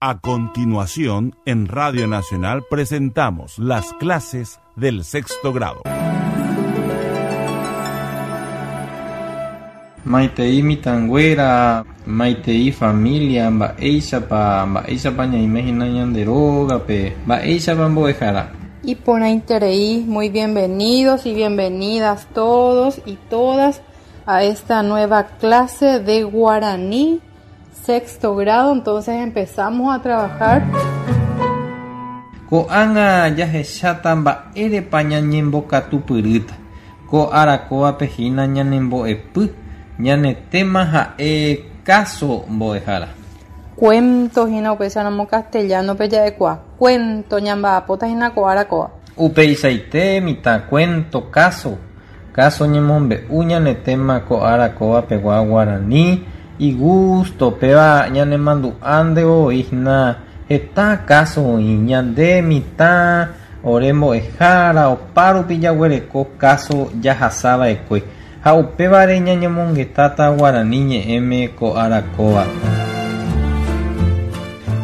A continuación, en Radio Nacional presentamos las clases del sexto grado. Maitei mitãnguéra, maitei familia, mba'éichapa, mba'éichapa ñaime hína ñande rógape, mba'éichapa mbo'ehára. Iporãiterei, muy bienvenidos y bienvenidas todos y todas a esta nueva clase de guaraní sexto grado, entonces empezamos a trabajar. Ko'ág̃a jahecháta mba'érepa ñañembokatupyrýta. Ko ára kóvape hína ñanembo'epy, ñane téma ha'e káso mbo'ehára. Cuento hína upéicharamo castellano-pe ja'ekuaa. Cuento ñamba'apóta hína ko ára kóva. Upeichaite mitã cuento, káso. Káso ñemombe'u ñane téma ko ára kóva pegua guarani, igusto péva ñanemandu'a nde voi hína heta káso oĩ. Ñande mitã, ore mbo'ehára, opárupi jaguereko káso jahasa va'ekue ha upévare ñañomongetáta guarani ñe'ẽme ko ára kóva.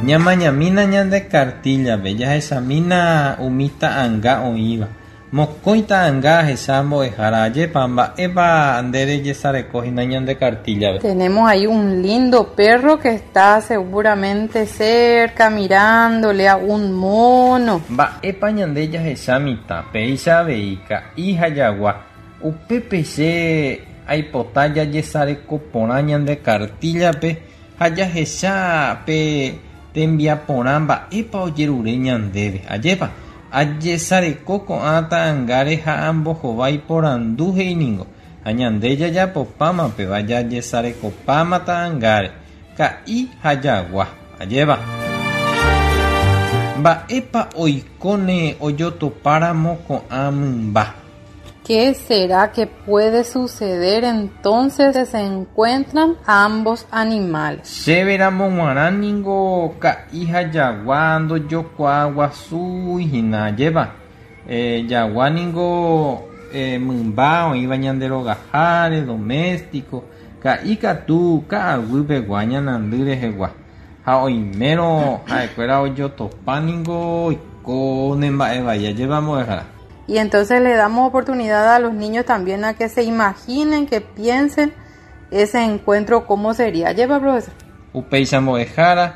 Ñamañamína ñande kartíllape, jahechamína umi ta'anga oĩva. Mokõi ta'anga ahecha mbo'ehára, ajépa, mba'épa nde rejesareko hína ñande kartíllape. Tenemos ahí un lindo perro que está seguramente cerca mirándole a un mono. Mba'épa ñande jahecha mitã, péicha avei ka'i ha jagua. Upépe che aipota jajesareko porã ñande kartíllape ha jahecha pe tembiaporã mba'épa ojerure ñandéve. Ajépa, ajesareko ko'ã ta'angáre ha ambohovái porandu he'i ningo. Ha ñande jajapopáma péva jajesarekopáma ta'angáre, ka'i ha jagua. Ajépa. Mba'épa oikóne ojotopáramo ko'ã mymba. Qué será que puede suceder entonces se encuentran ambos animales? Chéveramo g̃uarã ningo ka'i ha jagua ndojokuaaguasúi hína, ajépa. Jagua ningo mymba oĩva ñande rogaháre, doméstico, ka'i katu ka'aguy pegua ñanandy rehegua. Ha oimérõ ha'ekuéra ojotopa ningo oikóne mba'e vai, ajépa mbo'ehára. Y entonces le damos oportunidad a los niños también a que se imaginen, que piensen ese encuentro cómo sería. Ajépa, profesor. Upéicha mbo'ehára,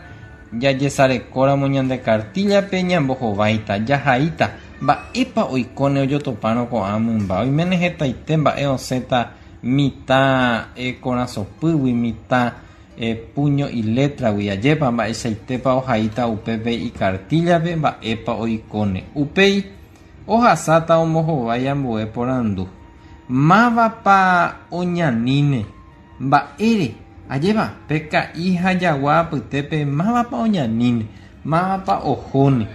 jajesarekóramo ñande kartíllape ñambohováita, jahaíta, mba'épa oikóne ojotopárõ ko'ã mymba. Oiméne hetaite mba'e osẽta mitã korasõpýgui, mitã puño y letra-gui, ajépa mba'eichaitépa ohaíta upépe ikartíllape mba'épa oikóne. Upéi ohasáta ombohovái ambue porandu. Mávapa oñaníne? Mba'ére? Ajépa, pe ka'i ha jagua apytépe mávapa oñaníne, mávapa ohóne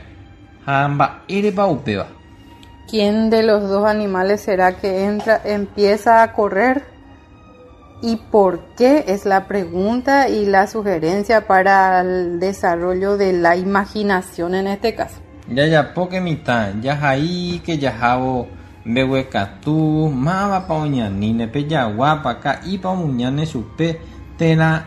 ha mba'érepa upéva. ¿Quién de los dos animales será que entra, empieza a correr? ¿Y por qué? Es la pregunta y la sugerencia para el desarrollo de la imaginación en este caso. Jajapóke mitã, jahaíke jahávo mbeguekatu, mávapa oñaníne, pe jaguápa, ka'ípa omuñáne chupe térã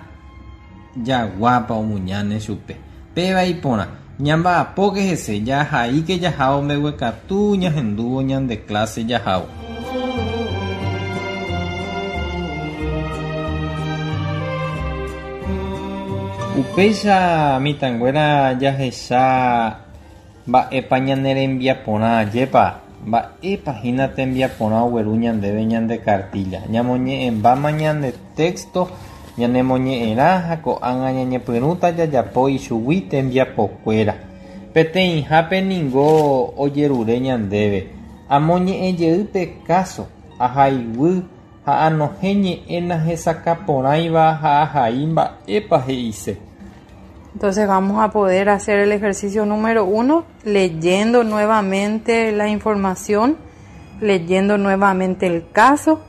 jaguápa omuñáne chupe. Péva iporã, ñamba'apóke hese, jahaíke jahávo mbeguekatu ñahendúvo ñande clase jahávo. Upéicha mitãnguéra jahecha mba'épa ñane rembiaporã, ajépa, mba'épa hína tembiaporã ogueru ñandéve ñande kartílla. Ñamoñe'ẽmbáma ñande texto, ñanemoñe'ẽrã ha ko'ág̃a ñañepyrũta jajapo ichugui tembiapokuéra. Peteĩhápe ningo ojerure ñandéve. Amoñe'ẽjey pe káso, ahaiguy ha anohẽ ñe'ẽ nahesakãporãiva ha ahai mba'épa he'ise. Entonces vamos a poder hacer el ejercicio número 1 leyendo nuevamente la información, leyendo nuevamente el caso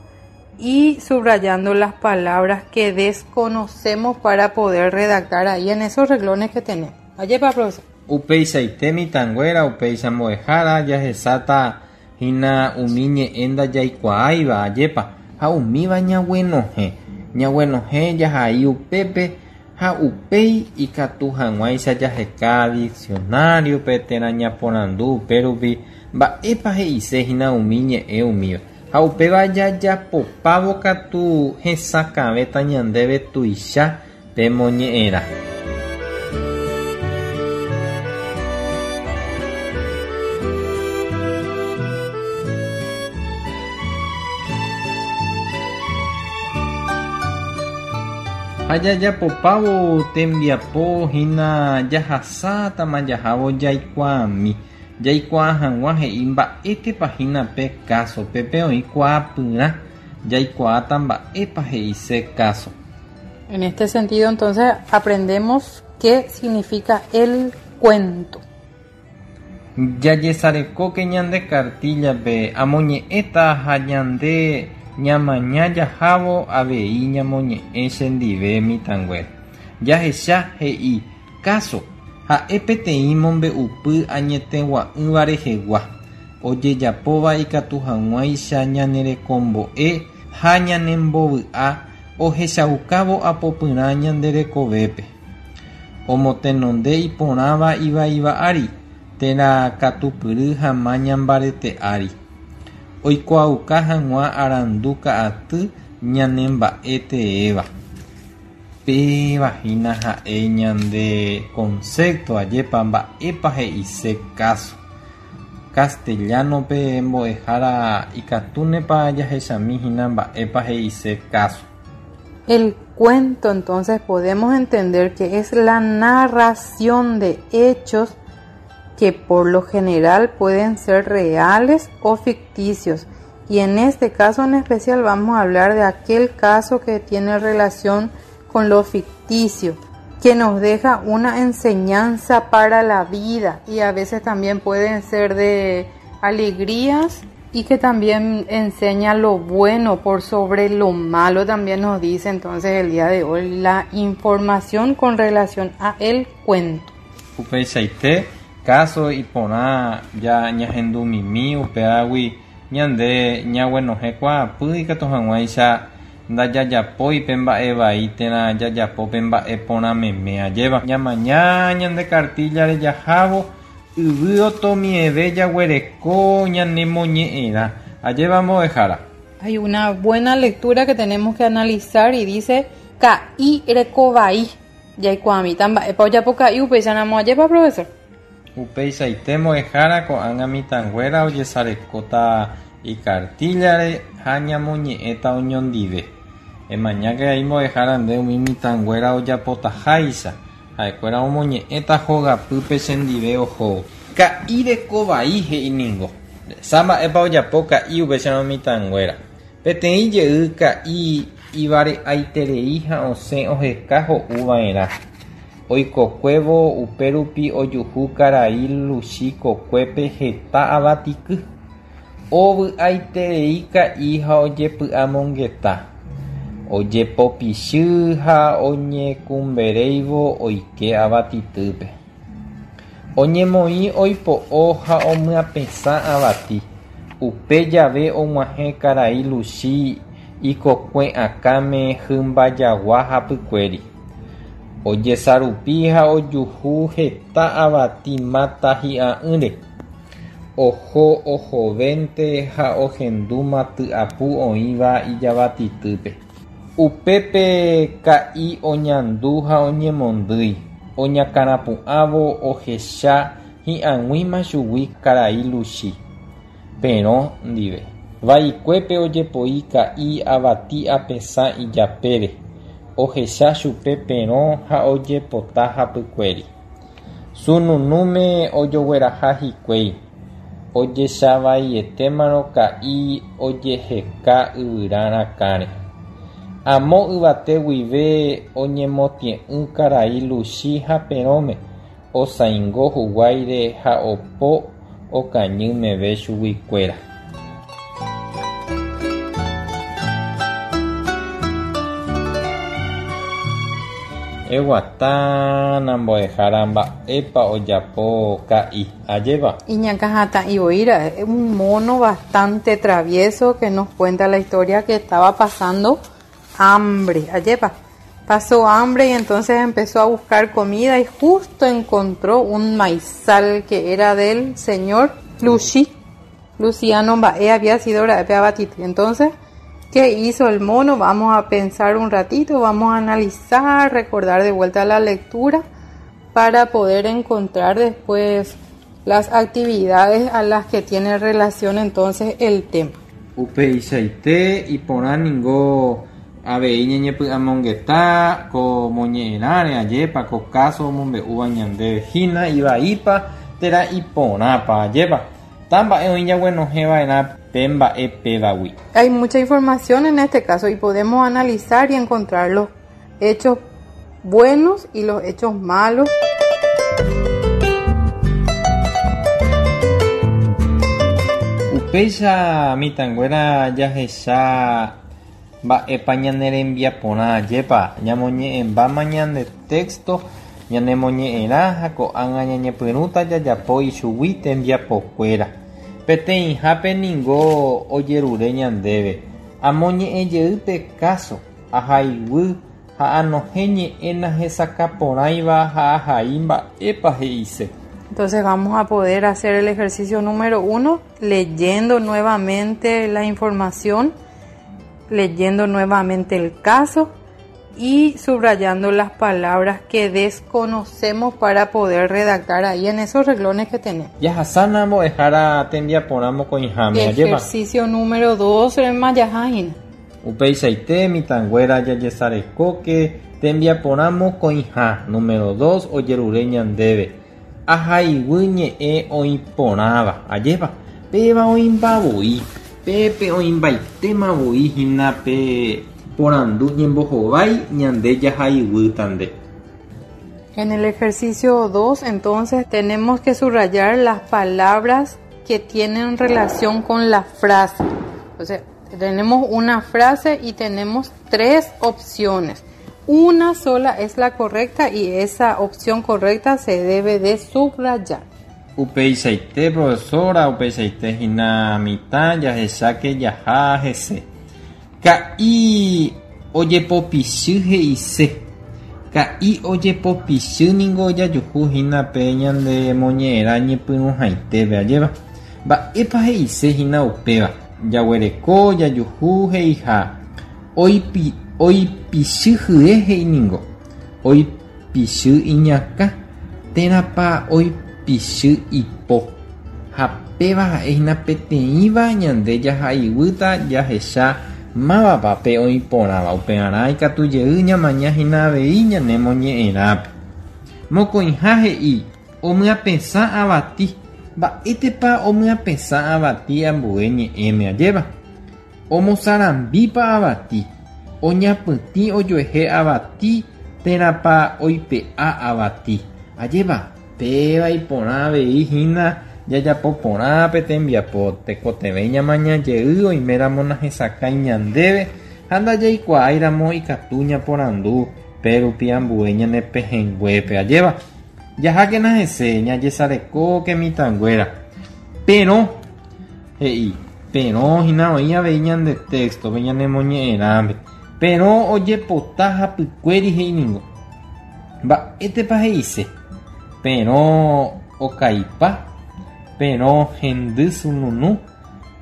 y subrayando las palabras que desconocemos para poder redactar ahí en esos renglones que tenemos. Ajépa, profesor. Upeichaite mitãnguéra, upéicha mbo'ehára jahecháta hína umi ñe'ẽ ndajaikuaáiva, ajépa, ha umíva ñaguenohẽ. Ñaguenohẽ jahai upépe. Ha upéi ikatu hag̃uáicha jaheka diccionario-pe térã ñaporandu upérupi mba'épa he'isehína umi ñe'ẽ umíva. Ha upéva jajapopávo katu hesakãvéta ñandéve tuicha pe moñe'ẽrã. Ha jajapopávo tembiapo hína jahasátama jahávo jaikuaami, jaikuaa hag̃ua he'i mba'étepa hína pe káso, pépe oĩ kuaapyrã jaikuaáta mba'épa he'ise káso. En este sentido, entonces, aprendemos qué significa el cuento. Jajesarekóke ñande kartíllape amoñe'ẽta ha ñande ñamaña jahávo avei ñamoñe'ẽ chendive mitãnguéra. Jahecha he'i káso ha'e peteĩ mombe'upy añetegua'ỹva rehegua, ojejapóva ikatu hag̃uáicha ñanerekombo'e ha ñanembovy'a ohechaukávo apopyrã ñande rekovépe. Omotenonde iporãva ivaíva ári, térã katupyry ha maña mbarete ári. Oikuaauka hag̃ua arandu ka'aty ñanemba'e teéva. Péva hína ha'e ñande concepto ajépa mba'épa he'ise káso. Castellano-pe mbo'ehára ikatúnepa jahechami hína mba'épa he'ise káso. El cuento, entonces, podemos entender que es la narración de hechos que por lo general pueden ser reales o ficticios. Y en este caso en especial vamos a hablar de aquel caso que tiene relación con lo ficticio, que nos deja una enseñanza para la vida y a veces también pueden ser de alegrías y que también enseña lo bueno por sobre lo malo, también nos dice entonces el día de hoy la información con relación a el cuento. Upeichaite, káso iporã ja ñahendumimi upévagui ñande ñaguenohẽ kuaapy ikatu hag̃uáicha ndajajapói pe mba'e vai térã jajapo pe mba'e porã meme ajéva. Ñamaña ñande kartíllare jahávo yvy otomieve jaguereko ñanemoñe'ẽrã. Ajéva mbo'ehára. Hay una buena lectura que tenemos que analizar y dice Ka'i rekovai. Jaikuaamíta mba'épa ojapo Ka'i upéicharamo ajépa, profesor? Upeichaite mbo'ehára ko'ág̃a mitãnguéra ojesarekóta ikartíllare ha ñamoñe'ẽta oñondive. Emañáke ai mbo'ehára nde umi mitãnguéra ojapotaháicha. Ha'ekuéra omoñe'ẽta hogapýpe chendive ohóvo. Ka'i rekovai he'i ningo. Sa mba'épa ojapo Ka'i upéicharõ mitãnguéra. Peteĩ jey Ka'i ivare'aiterei ha osẽ oheka ho'u va'erã. Oikokuévo upérupi ojuhu karai Luchi kokuépe heta avatiky. Ovy'aiterei Ka'i ha ojepy'amongeta. Ojepopichy ha oñekumberéivo oike avatitýpe. Oñemoĩ oipo'o ha omyapesã avati. Upe jave og̃uahẽ karai Luchi ikokue akãme hymbajagua hapykuéri. Ojesarupi ha ojuhu heta avati máta hi'a'ỹre. Oho ohovénte ha ohendúma tyapu oĩva ijavatitýpe. Upépe Ka'i oñandu ha oñemondýi. Oñakãrapu'ãvo ohecha hi'ag̃uíma chugui karai Luchi. Perõ ndive. Vaikuépe ojepoi Ka'i avati apesã ijapére. Ohecha chupe Perõ ha ojepota hapykuéri. Sununúme ojogueraha hikuái. Ojechavaietémarõ Ka'i ojeheka yvyra rakãre. Amo yvate guive oñemotie'ỹ karai Luchi ha Perõme osãingo huguáire ha opo okañy meve chuguikuéra. Eguatána mbo'ehára mba'épa ojapo Ka'i, ajépa? Iñakãhatã'i voi ra'e, un mono bastante travieso que nos cuenta la historia que estaba pasando hambre, ajépa? Pasó hambre y entonces empezó a buscar comida y justo encontró un maizal que era del señor Luchi. Luciano Bae había sido la Entonces, ¿qué hizo el mono? Vamos a pensar un ratito, vamos a analizar, recordar de vuelta la lectura para poder encontrar después las actividades a las que tiene relación entonces el tema. Upeichaite iporã ningo avei ñañepy'amongeta ko moñe'ẽrãre ajépa ko káso omombe'úva ñandéve hína ivaípa térã iporãpa ajépa. Ta mba'e oĩ jaguenohẽva'erã pe mba'e pévagui. Hay mucha información en este caso y podemos analizar y encontrar los hechos buenos y los hechos malos. Upéicha mitãnguéra jahecha mba'épa ñane rembiaporã ajépa ñamoñe'ẽmbáma ñande texto ñanemoñe'ẽrã ha ko'ág̃a ñañepyrũta jajapo ichugui tembiapokuéra. Peteĩhápe ningo ojerure ñandéve amoñe'ẽjey pe káso, ahaiguy ha anohẽ ñe'ẽ nahesakãporãiva ha ahai mba'épa he'ise. Entonces vamos a poder hacer el ejercicio número 1 leyendo nuevamente la información, leyendo nuevamente el caso y subrayando las palabras que desconocemos para poder redactar ahí en esos renglones que tenemos. Jahasána mbo'ehára tembiaporã mokõiháme, ajépa? Ejercicio número 2 rema jahahína. Upeichaite mitãnguéra jajesarekóke tembiaporã mokõiha número 2 ojerure ñandéve. Ahaiguy ñe'ẽ oĩporãva, ajépa? Péva oĩmbavoi, pépe oĩmbaitémavoi hína pe porandu ñembohovái ñande jahaiguýtante. En el ejercicio 2, entonces, tenemos que subrayar las palabras que tienen relación con la frase. O sea, tenemos una frase y tenemos tres opciones. Una sola es la correcta y esa opción correcta se debe de subrayar. Upeichaite profesora, upeichaite hína mitã jahecháke jaha hese. Ka'i ojepopichy he'ise. Ka'i ojepopichy ningo jajuhu hína pe ñande moñe'ẽrã ñepyrũhaitépe ajépa. Mba'épa he'ise hína upéva. Jaguereko jajuhu he'iha. Oipi, oipichy hye he'i ningo. Oipichy iñakã térãpa oipichy ipo. Ha péva ha'e hína peteĩva ñande jahaiguýta jahecha mávapa pe oĩporãva. Upearã ikatu jey ñamaña hína avei ñane moñe'ẽrãpe. Mokõiha he'i omyapesã avati. Mba'étepa omyapesã avati ambue ñe'ẽme ajépa. Omosarambípa avati. Oñapytĩ ojuehe avati térãpa oipe'a avati. Ajépa péva iporã avei hína jajapo porã pe tembiapo tekotevẽ ñamaña jey oiméramo nahesakãi ñandéve ha ndajaikuaáiramo ikatu ñaporandu pérupi ambue ñane pehẽnguépe ajépa. Jahákena hese ñajesarekóke mitãnguéra. Perõ he'i perõ hína oĩ avei ñande texto-pe ñanemoñe'ẽrãme. Perõ ojepota hapykuéri he'i ningo. Mba'étepa he'ise. Perõ okaipa, perõ hendy sununu,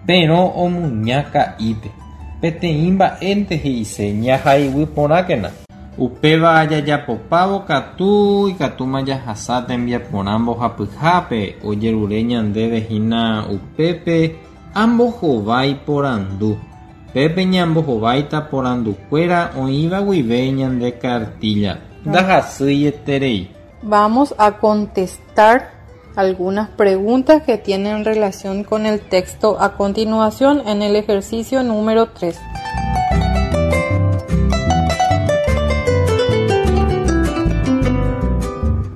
perõ omuña ka'ípe. Peteĩ mba'énte he'ise ñahaiguy porãkena. Upéva jajapopávo katu ikatúma jahasa tembiaporã mbohapyhápe ojerure ñandéve hína upépe ambohovái porandu. Pépe ñambohováita porandukuéra oĩva guive ñande cartilla. Ndahasýieterei. Vamos a contestar algunas preguntas que tienen relación con el texto a continuación en el ejercicio número 3.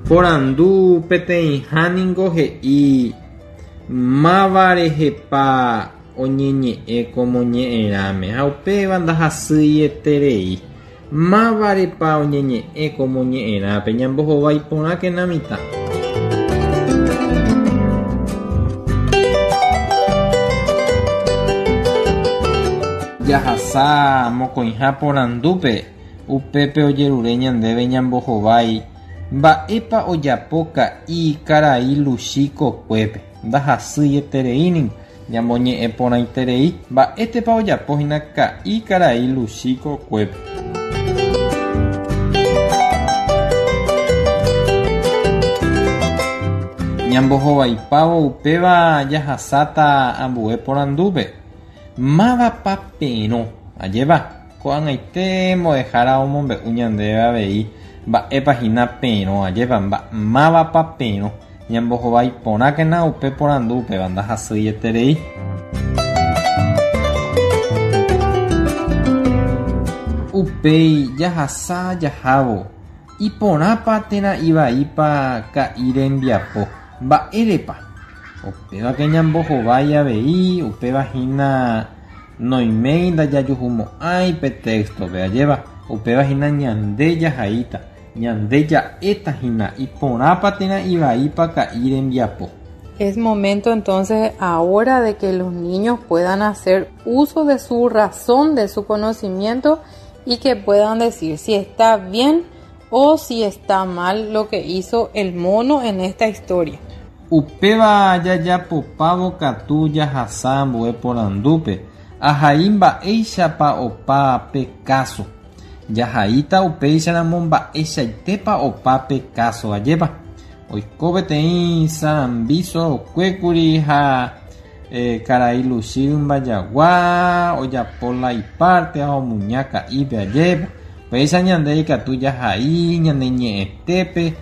Porandu peteĩha ningo he'i máva rehepa oñeñe'ẽ ko moñe'ẽrãme ha upéva ndahasýieterei. Mávarepa oñeñe'ẽ ko moñe'ẽrãpe ñambohovái porãkena mitã. Jahasa mokõiha porandúpe. Upépe ojerure ñandéve ñambohovái mba'épa ojapo ka'i karai Luchi kokuépe. Ndahasýieterei ningo, ñamoñe'ẽ porãiterei mba'étepa ojapo hína ka'i karai Luchi kokuépe. Ñambohovaipávo upéva jahasáta ambue porandúpe. Mávapa perõ? Ajépa, ko'ag̃aite mbo'ehára omombe'u ñandéve avei mba'épa hína perõ, ajépa, mávapa perõ. Ñambohovái porãkena upe porandu upéva ndahasyieterei. Upéi jahasa jahávo, iporãpa térã ivaípa ka'i rembiapo, mba'érepa? Upévake ñambohovái avei, upéva hína noiméi ndajajuhumo'ãi pe téxtope, ajépa? Upéva hína ñande jahaíta. Ñande ja'éta hína iporãpa térã ivaípa ka'i rembiapo. Es momento entonces ahora de que los niños puedan hacer uso de su razón, de su conocimiento y que puedan decir si está bien o si está mal lo que hizo el mono en esta historia. Upéva jajapopávo katu jahasa ambue porandúpe, ahai mba'éichapa opa pe káso. Jahaíta upéicharamo mba'eichaitépa opa pe káso, ajépa? Oiko peteĩ sarambi sorokuékuri ha karai Luchi rymba jagua ojapo la ipárte ha omuña ka'ípe, ajépa? Upéicha ñande ikatu jahai ñane ñe'ẽtépe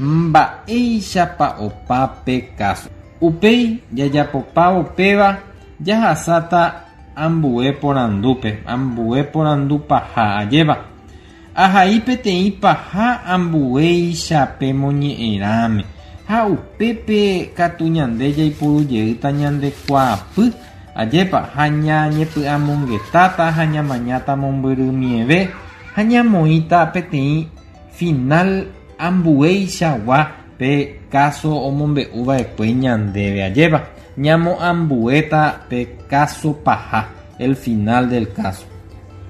mba'éichapa opa pe káso. Upéi jajapopávo péva jahasáta ambue porandúpe, ambue porandu paha, ajépa? Ahai peteĩ paha ambuéicha pe moñe'ẽrãme ha upépe katu ñande jaipurujeýta ñande kuaapy, ajépa? Ha ñañepy'amongetáta ha ñamañáta mombyrymieve ha ñamoĩta peteĩ final ambueichagua pe káso omombe'uva'ekue ñandéve, ajépa? Ñamoambuéta pe káso paha, el final del caso.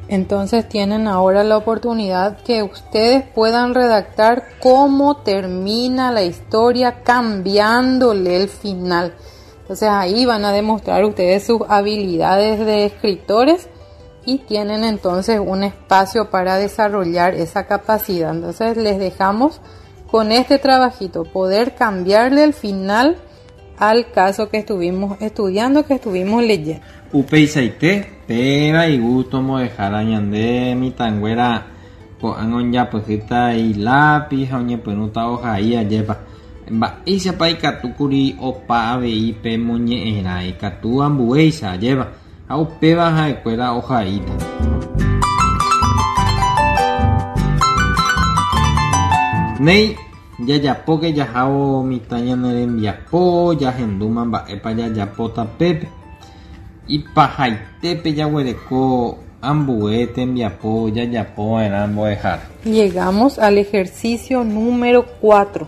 Entonces tienen ahora la oportunidad que ustedes puedan redactar cómo termina la historia cambiándole el final. Entonces ahí van a demostrar ustedes sus habilidades de escritores y tienen entonces un espacio para desarrollar esa capacidad. Entonces les dejamos con este trabajito, poder cambiarle el final al caso que estuvimos estudiando, que estuvimos leyendo. Upeichaite, péva igusto mbo'ehára ñande mitãnguéra ko'ág̃a ojapyhýta ilápiz ha oñepyrũta ohai ajépa. Mba'éichapa ikatúkuri opa avei pe moñe'ẽrã, ikatu ambuéicha ajépa ha upéva ha'ekuéra ohaíta. Néi, jajapóke jahávo mitã ñane rembiapo, jahendúma mba'épa jajapóta pépe. Ipahaitépe jaguereko ambue tembiapo jajapova'erã mbo'ehára. Llegamos al ejercicio número 4.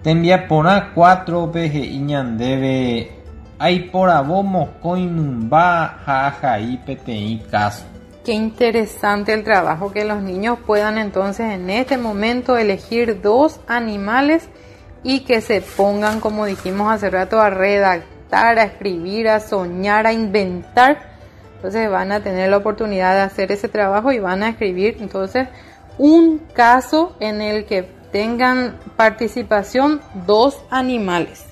Tembiaporã 4-pe he'i ñandéve aiporavo mokõi mymba ha ahai peteĩ káso. Qué interesante el trabajo que los niños puedan entonces en este momento elegir dos animales y que se pongan, como dijimos hace rato, a redactar, a escribir, a soñar, a inventar. Entonces van a tener la oportunidad de hacer ese trabajo y van a escribir entonces un caso en el que tengan participación dos animales.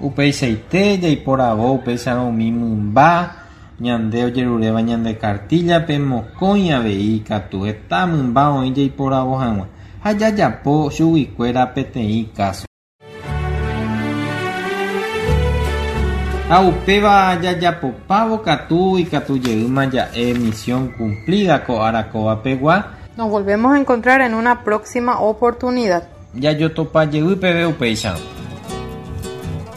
Upeichaite jaiporavo upéicharõ umi mymba ñande ojeruréva ñande kartíllape mokõi avei katu heta mymba oĩ jaiporavo hag̃ua ha jajapo chuguikuéra peteĩ káso. Ha upéva jajapopávo katu ikatu jeýma ja'e misión cumplida ko ára kóvapegua. Nos volvemos a encontrar en una próxima oportunidad. Jajotopa jey peve upéicharõ.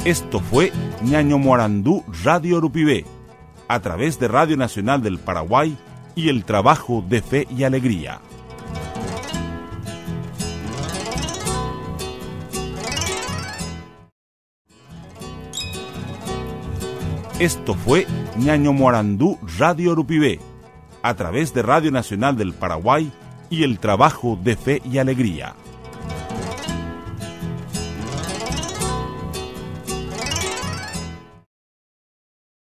Esto fue Ñañomoarandu Radio Rupive, a través de Radio Nacional del Paraguay y el trabajo de Fe y Alegría. Esto fue Ñañomoarandu Radio Rupive, A través de Radio Nacional del Paraguay y el trabajo de Fe y Alegría.